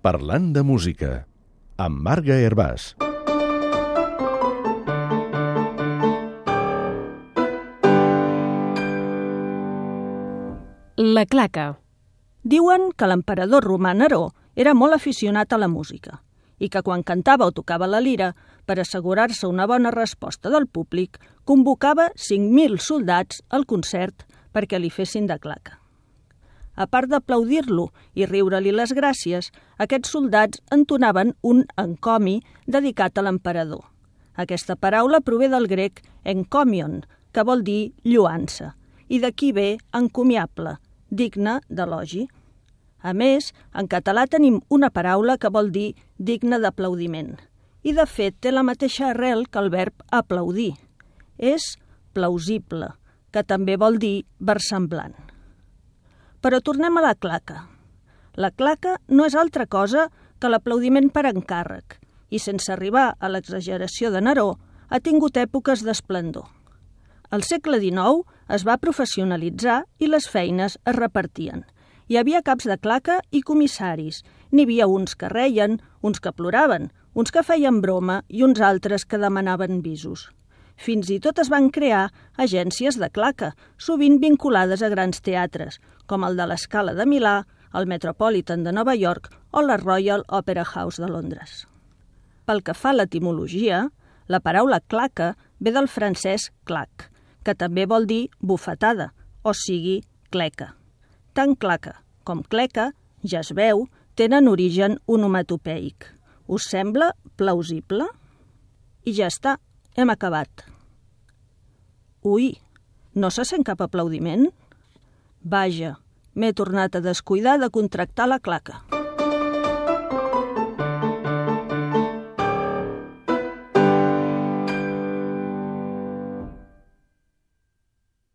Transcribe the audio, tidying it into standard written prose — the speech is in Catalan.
Parlant de música, amb Marga Hervàs. La claca. Diuen que l'emperador romà Neró era molt aficionat a la música i que quan cantava o tocava la lira, per assegurar-se una bona resposta del públic, convocava 5.000 soldats al concert perquè li fessin de claca. A part d'aplaudir-lo i riure-li les gràcies, aquests soldats entonaven un encomi dedicat a l'emperador. Aquesta paraula prové del grec encomion, que vol dir lloança, i d'aquí ve encomiable, digne d'elogi. A més, en català tenim una paraula que vol dir digne d'aplaudiment, i de fet té la mateixa arrel que el verb aplaudir. És plausible, que també vol dir versemblant. Però tornem a la claca. La claca no és altra cosa que l'aplaudiment per encàrrec i, sense arribar a l'exageració de Neró, ha tingut èpoques d'esplendor. Al segle XIX es va professionalitzar i les feines es repartien. Hi havia caps de claca i comissaris. N'hi havia uns que reien, uns que ploraven, uns que feien broma i uns altres que demanaven visos. Fins i tot es van crear agències de claca, sovint vinculades a grans teatres, com el de l'Scala de Milà, el Metropolitan de Nova York o la Royal Opera House de Londres. Pel que fa a l'etimologia, la paraula claca ve del francès clac, que també vol dir bufetada, o sigui, cleca. Tant claca com cleca, ja es veu, tenen origen onomatopeic. Us sembla plausible? I ja està, hem acabat. Ui, no se sent cap aplaudiment? Vaja, m'he tornat a descuidar de contractar la claca.